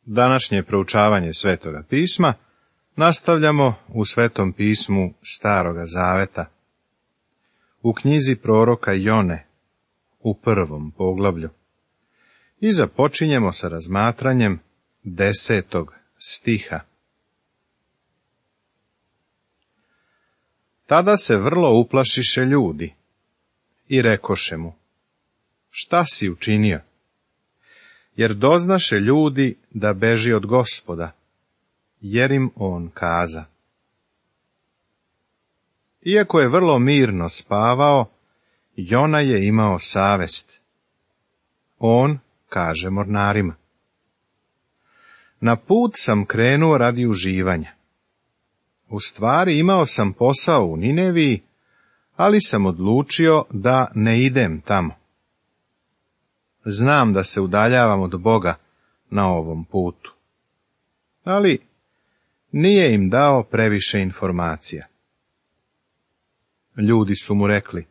Današnje proučavanje Svetoga pisma nastavljamo u Svetom pismu Staroga Zaveta, u knjizi proroka Jone, u 1. poglavlju, i započinjemo sa razmatranjem 10. stiha. Tada se vrlo uplašiše ljudi i rekoše mu: šta si učinio? Jer doznaše ljudi da beži od Gospoda, jer im on kaza. Iako je vrlo mirno spavao, Jona je imao savest. On kaže mornarima: na put sam krenuo radi uživanja. U stvari imao sam posao u Nineviji, ali sam odlučio da ne idem tamo. Znam da se udaljavam od Boga na ovom putu. Ali nije im dao previše informacija. Ljudi su mu rekli: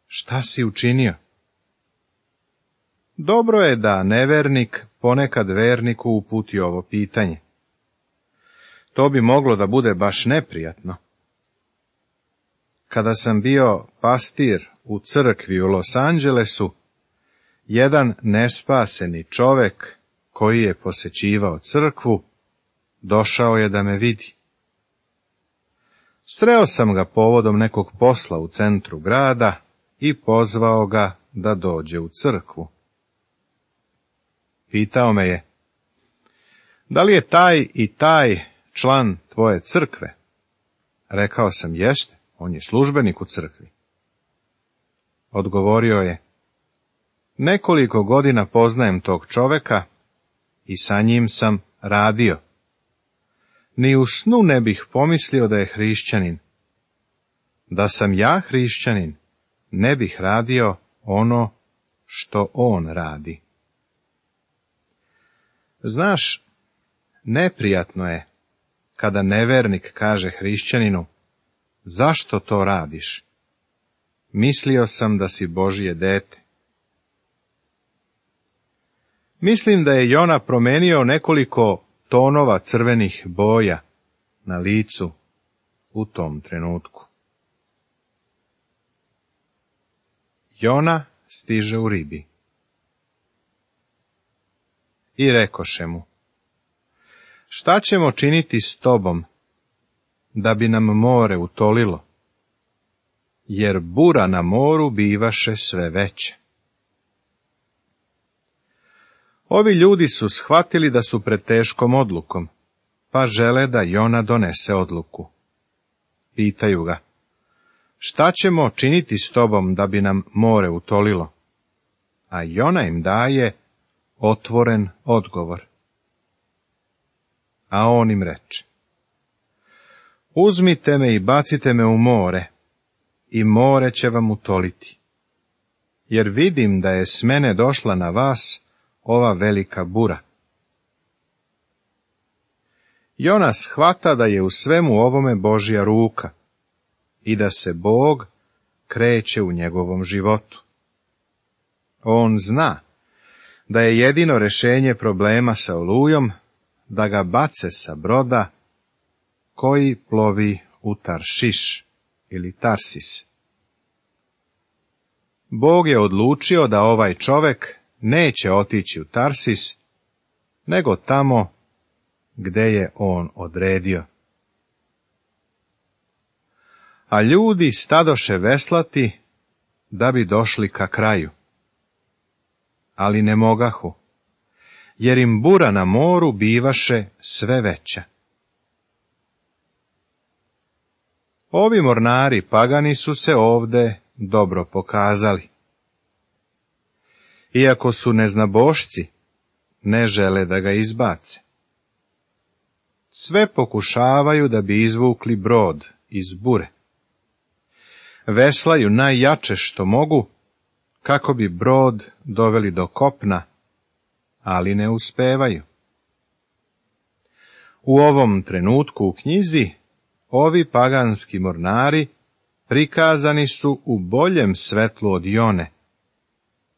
šta si učinio? Dobro je da nevernik ponekad verniku uputi ovo pitanje. To bi moglo da bude baš neprijatno. Kada sam bio pastir u crkvi u Los Angelesu, jedan nespaseni čovek koji je posećivao crkvu došao je da me vidi. Sreo sam ga povodom nekog posla u centru grada i pozvao ga da dođe u crkvu. Pitao me je: da li je taj i taj član tvoje crkve? Rekao sam: jeste, on je službenik u crkvi. Odgovorio je: nekoliko godina poznajem tog čoveka i sa njim sam radio. Ni u snu ne bih pomislio da je hrišćanin. Da sam ja hrišćanin, ne bih radio ono što on radi. Znaš, neprijatno je kada nevernik kaže hrišćaninu: zašto to radiš? Mislio sam da si Božje dete. Mislim da je Jona promenio nekoliko tonova crvenih boja na licu u tom trenutku. Jona stiže u ribi. I rekoše mu: šta ćemo činiti s tobom, da bi nam more utolilo? Jer bura na moru bivaše sve veće. Ovi ljudi su shvatili da su pred teškom odlukom, pa žele da Jona donese odluku. Pitaju ga: šta ćemo činiti s tobom da bi nam more utolilo? A Jona im daje otvoren odgovor. A on im reče: uzmite me i bacite me u more, i more će vam utoliti. Jer vidim da je s mene došla na vas ova velika bura. Jona shvata da je u svemu ovome Božja ruka i da se Bog kreće u njegovom životu. On zna da je jedino rješenje problema sa olujom da ga bace sa broda koji plovi u Taršiš ili Tarsis. Bog je odlučio da ovaj čovek neće otići u Tarsis, nego tamo gde je on odredio. A ljudi stadoše veslati da bi došli ka kraju. Ali ne mogahu, jer im bura na moru bivaše sve veća. Ovi mornari pagani su se ovde dobro pokazali. Iako su neznabošci, ne žele da ga izbace. Sve pokušavaju da bi izvukli brod iz bure. Veslaju najjače što mogu, kako bi brod doveli do kopna, ali ne uspevaju. U ovom trenutku u knjizi ovi paganski mornari prikazani su u boljem svetlu od Jone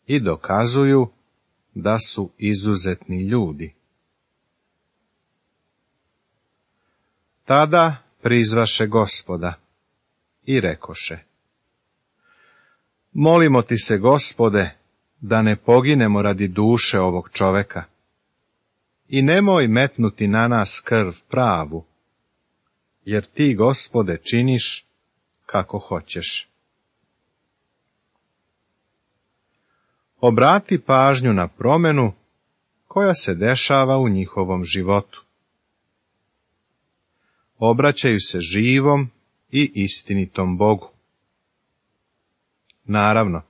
i dokazuju da su izuzetni ljudi. Tada prizvaše Gospoda i rekoše: Molimo ti se, Gospode, da ne poginemo radi duše ovog čoveka, i nemoj metnuti na nas krv pravu, jer ti, Gospode, činiš kako hoćeš. Obrati pažnju na promjenu koja se dešava u njihovom životu. Obraćaju se živom i istinitom Bogu. Naravno,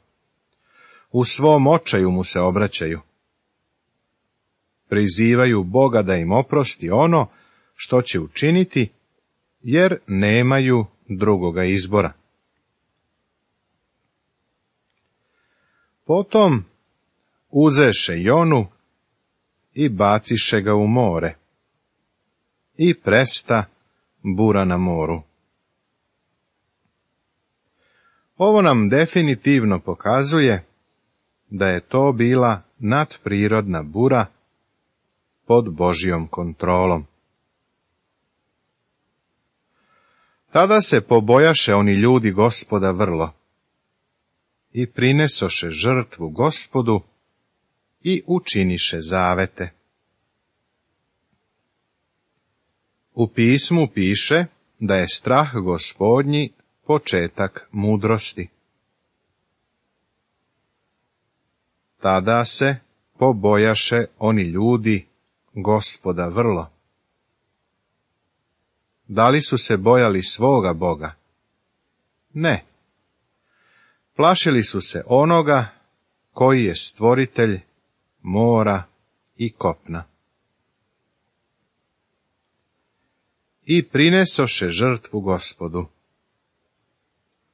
u svom očaju mu se obraćaju. Prizivaju Boga da im oprosti ono što će učiniti, jer nemaju drugoga izbora. Potom uzeše Jonu i baciše ga u more, i presta bura na moru. Ovo nam definitivno pokazuje da je to bila nadprirodna bura pod Božjom kontrolom. Tada se pobojaše oni ljudi Gospoda vrlo i prinesoše žrtvu Gospodu i učiniše zavete. U pismu piše da je strah Gospodnji početak mudrosti. Tada se pobojaše oni ljudi Gospoda vrlo. Da li su se bojali svoga Boga? Ne. Plašili su se onoga koji je stvoritelj mora i kopna. I prinesoše žrtvu Gospodu.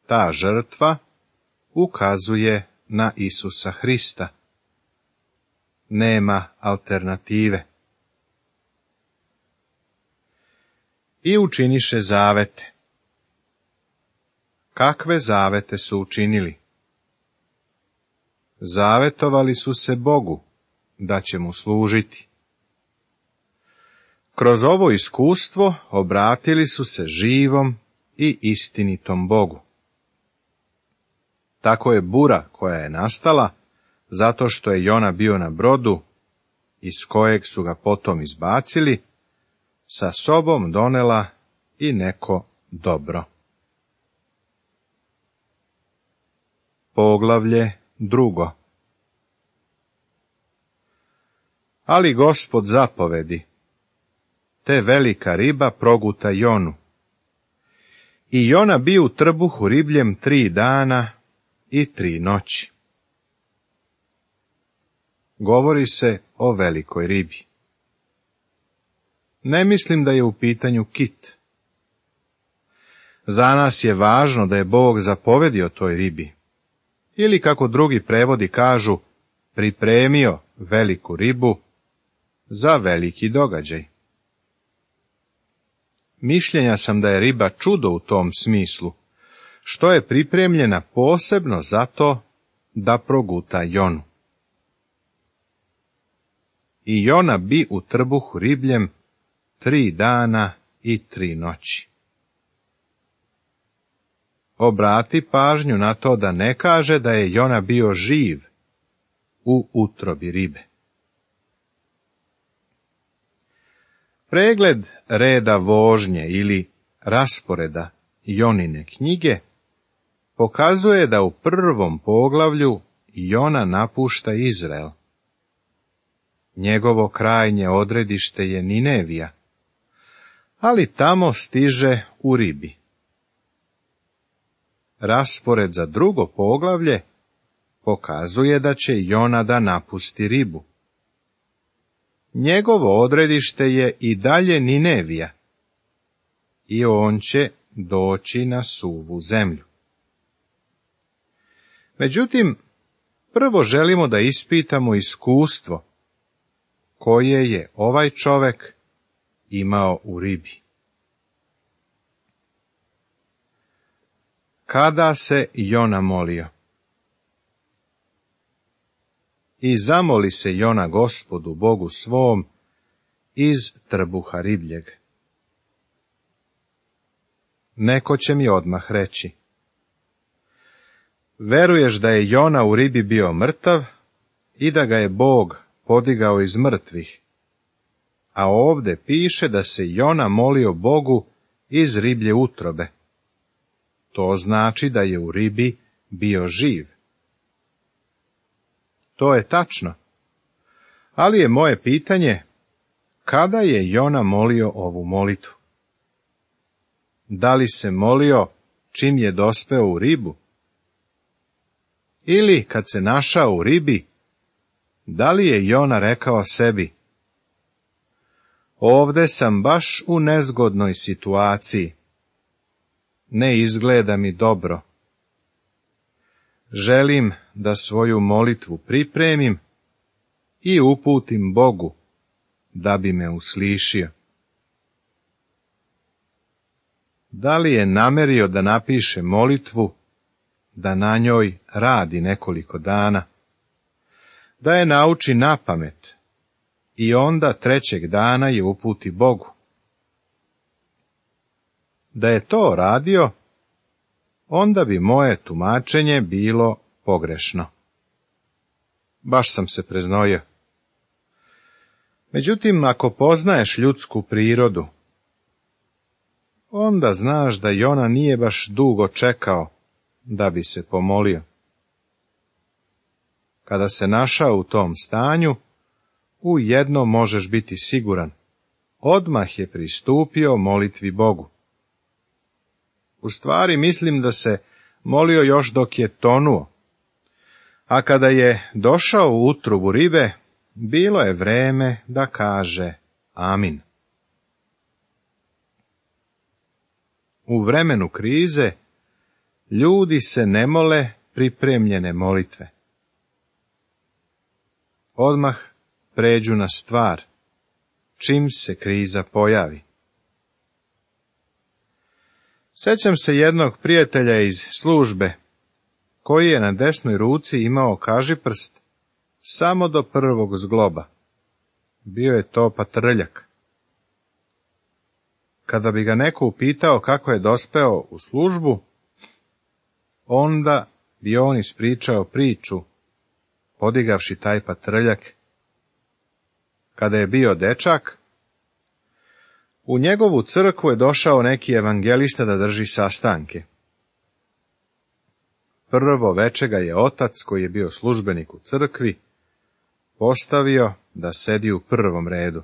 Ta žrtva ukazuje na Isusa Hrista. Nema alternative. I učiniše zavete. Kakve zavete su učinili? Zavetovali su se Bogu da će mu služiti. Kroz ovo iskustvo obratili su se živom i istinitom Bogu. Tako je bura koja je nastala, zato što je Jona bio na brodu, iz kojeg su ga potom izbacili, sa sobom donela i neko dobro. Poglavlje 2. Ali Gospod zapovedi, te velika riba proguta Jonu. I Jona bi u trbuhu ribljem 3 dana i 3 noći. Govori se o velikoj ribi. Ne mislim da je u pitanju kit. Za nas je važno da je Bog zapovedio toj ribi, ili kako drugi prevodi kažu, pripremio veliku ribu za veliki događaj. Mišljenja sam da je riba čudo u tom smislu, što je pripremljena posebno zato da proguta Jonu. I Jona bi u trbuhu ribljem 3 dana i 3 noći. Obrati pažnju na to da ne kaže da je Jona bio živ u utrobi ribe. Pregled reda vožnje ili rasporeda Jonine knjige pokazuje da u 1. poglavlju Jona napušta Izrael. Njegovo krajnje odredište je Ninevija, ali tamo stiže u ribi. Raspored za 2. poglavlje pokazuje da će Jona da napusti ribu. Njegovo odredište je i dalje Ninevija i on će doći na suvu zemlju. Međutim, prvo želimo da ispitamo iskustvo koje je ovaj čovek imao u ribi. Kada se Jona molio? I zamoli se Jona Gospodu Bogu svom iz trbuha ribljeg. neko će mi odmah reći: veruješ da je Jona u ribi bio mrtav i da ga je Bog podigao iz mrtvih, a ovde piše da se Jona molio Bogu iz riblje utrobe. To znači da je u ribi bio živ. To je tačno, ali je moje pitanje, kada je Jona molio ovu molitvu? Da li se molio čim je dospeo u ribu? Ili kad se našao u ribi, da li je Jona rekao sebi: ovde sam baš u nezgodnoj situaciji, ne izgleda mi dobro. Želim da svoju molitvu pripremim i uputim Bogu, da bi me uslišio. Da li je namerio da napiše molitvu, da na njoj radi nekoliko dana, da je nauči napamet i onda trećeg dana je uputi Bogu? Da je to radio, onda bi moje tumačenje bilo pogrešno. Baš sam se preznojio. Međutim, ako poznaješ ljudsku prirodu, onda znaš da Jona nije baš dugo čekao da bi se pomolio. Kada se našao u tom stanju, u jedno možeš biti siguran: odmah je pristupio molitvi Bogu. U stvari mislim da se molio još dok je tonuo, a kada je došao u utrubu ribe, bilo je vreme da kaže amin. U vremenu krize ljudi se ne mole pripremljene molitve. Odmah pređu na stvar, čim se kriza pojavi. Sjećam se jednog prijatelja iz službe, koji je na desnoj ruci imao kažiprst samo do prvog zgloba. Bio je to patrljak. Kada bi ga neko upitao kako je dospeo u službu, onda bi on ispričao priču, podigavši taj patrljak. Kada je bio dečak, u njegovu crkvu je došao neki evangelista da drži sastanke. Prvo veče ga je otac, koji je bio službenik u crkvi, postavio da sedi u prvom redu.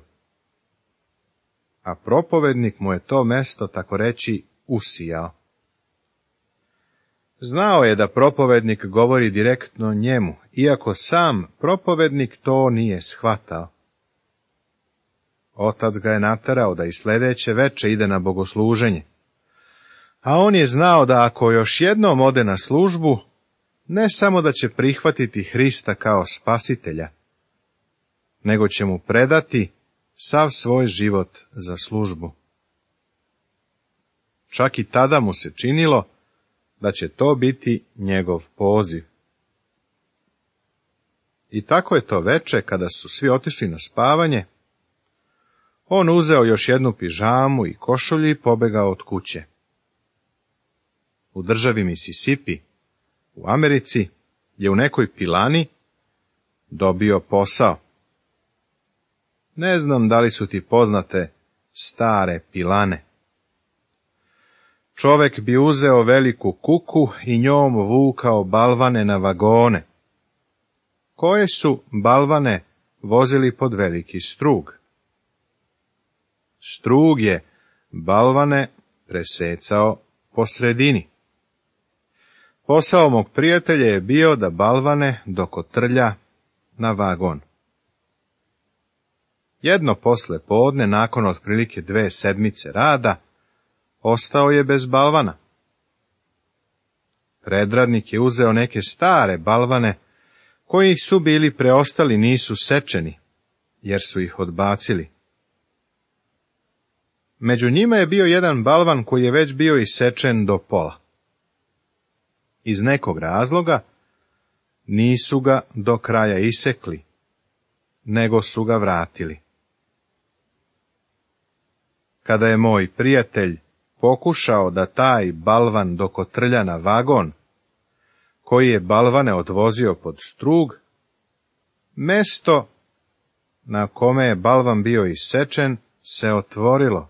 A propovednik mu je to mesto, tako reći, usijao. Znao je da propovednik govori direktno njemu, iako sam propovednik to nije shvatao. Otac ga je naterao da i sljedeće veče ide na bogosluženje, a on je znao da ako još jednom ode na službu, ne samo da će prihvatiti Hrista kao spasitelja, nego će mu predati sav svoj život za službu. Čak i tada mu se činilo da će to biti njegov poziv. I tako je to veče, kada su svi otišli na spavanje, on uzeo još jednu pižamu i košulju i pobegao od kuće. U državi Mississippi, u Americi, je u nekoj pilani dobio posao. Ne znam da li su ti poznate stare pilane. Čovek bi uzeo veliku kuku i njom vukao balvane na vagone, koje su balvane vozili pod veliki strug. Strug je balvane presecao po sredini. Posao mog prijatelja je bio da balvane dokotrlja na vagon. Jedno posle podne, nakon otprilike 2 sedmice rada, ostao je bez balvana. Predradnik je uzeo neke stare balvane, koji su bili preostali, nisu sečeni, jer su ih odbacili. Među njima je bio jedan balvan koji je već bio isečen do pola. Iz nekog razloga nisu ga do kraja isekli, nego su ga vratili. Kada je moj prijatelj pokušao da taj balvan dokotrlja na vagon, koji je balvane odvozio pod strug, mesto na kome je balvan bio isečen se otvorilo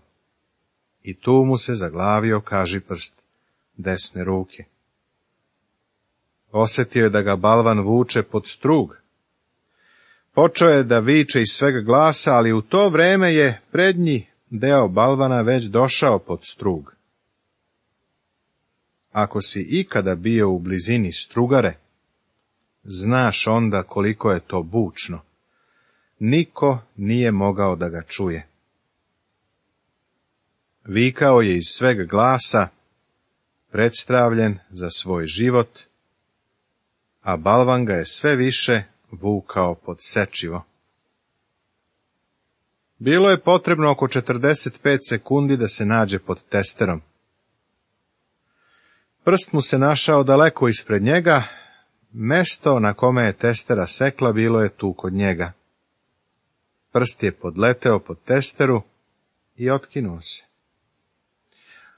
i tu mu se zaglavio kažiprst desne ruke. Osjetio je da ga balvan vuče pod strug. Počeo je da viče iz svega glasa, ali u to vreme je prednji deo balvana već došao pod strug. Ako si ikada bio u blizini strugare, znaš onda koliko je to bučno. Niko nije mogao da ga čuje. Vikao je iz svega glasa, predstavljen za svoj život, a balvan ga je sve više vukao pod sečivo. Bilo je potrebno oko 45 sekundi da se nađe pod testerom. Prst mu se našao daleko ispred njega, mesto na kome je testera sekla bilo je tu kod njega. Prst je podleteo pod testeru i otkinuo se.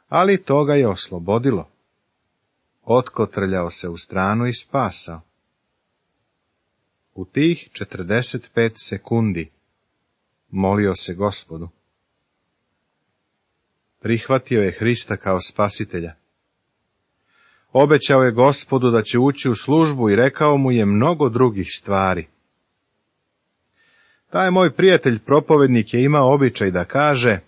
Ali to ga je oslobodilo. Otkotrljao se u stranu i spasao. U tih 45 sekundi molio se Gospodu. Prihvatio je Hrista kao spasitelja. Obećao je Gospodu da će ući u službu i rekao mu je mnogo drugih stvari. Taj moj prijatelj propovednik je imao običaj da kaže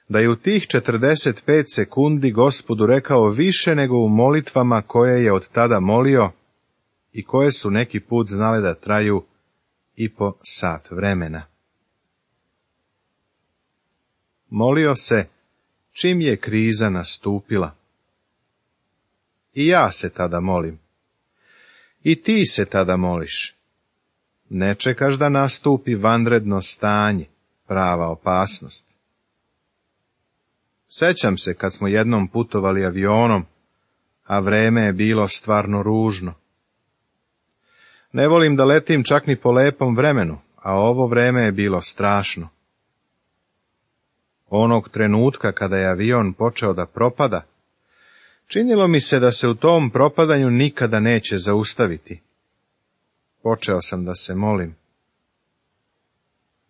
da je u tih 45 sekundi Gospodu rekao više nego u molitvama koje je od tada molio i koje su neki put znale da traju i po sat vremena. Molio se čim je kriza nastupila. I ja se tada molim. I ti se tada moliš. Ne čekaš da nastupi vanredno stanje, prava opasnost. Sećam se kad smo jednom putovali avionom, a vreme je bilo stvarno ružno. Ne volim da letim čak ni po lepom vremenu, a ovo vreme je bilo strašno. Onog trenutka kada je avion počeo da propada, činilo mi se da se u tom propadanju nikada neće zaustaviti. Počeo sam da se molim.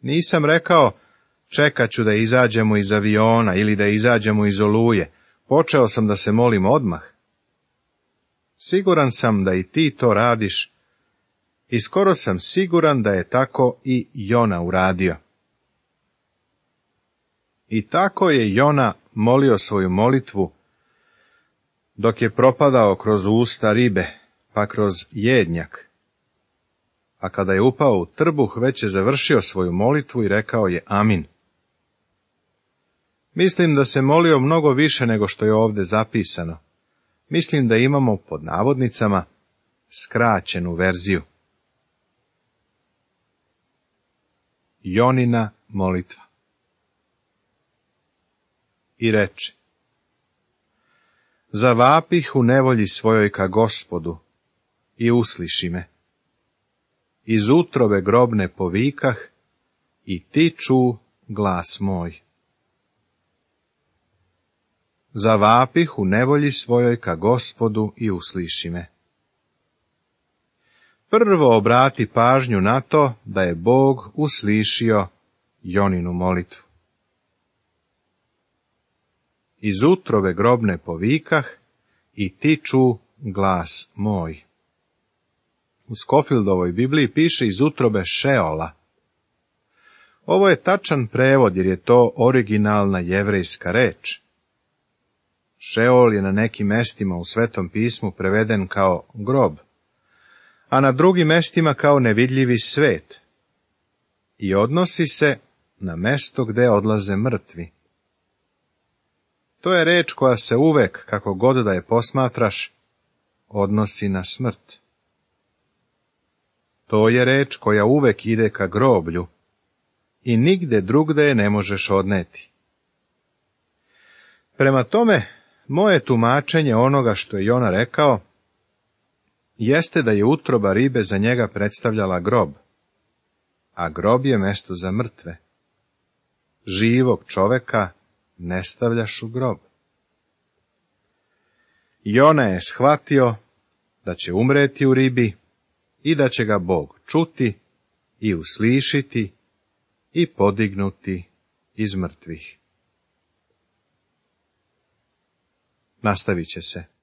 Nisam rekao, čekat ću da izađemo iz aviona ili da izađemo iz oluje. Počeo sam da se molim odmah. Siguran sam da i ti to radiš i skoro sam siguran da je tako i Jona uradio. I tako je Jona molio svoju molitvu, dok je propadao kroz usta ribe, pa kroz jednjak. A kada je upao u trbuh, već je završio svoju molitvu i rekao je amin. Mislim da se molio mnogo više nego što je ovdje zapisano. Mislim da imamo, pod navodnicama, skraćenu verziju. Jonina molitva. I reče: Zavapih u nevolji svojoj ka Gospodu i usliši me. Iz utrobe grobne povikah i ti ču glas moj. Zavapih u nevolji svojoj ka Gospodu i usliši me. Prvo obrati pažnju na to da je Bog uslišio Joninu molitvu. Iz utrobe grobne povikah i ti ču glas moj. U Scofieldovoj Bibliji piše iz utrobe Šeola. Ovo je tačan prevod jer je to originalna jevrejska reč. Šeol je na nekim mestima u Svetom pismu preveden kao grob, a na drugim mestima kao nevidljivi svet i odnosi se na mesto gde odlaze mrtvi. To je reč koja se uvek, kako god da je posmatraš, odnosi na smrt. To je reč koja uvek ide ka groblju i nigde drugde je ne možeš odneti. Prema tome, moje tumačenje onoga što je Jona rekao, jeste da je utroba ribe za njega predstavljala grob, a grob je mesto za mrtve. Živog čoveka ne stavljaš u grob. Jona je shvatio da će umreti u ribi i da će ga Bog čuti i uslišiti i podignuti iz mrtvih. Nastavit će se.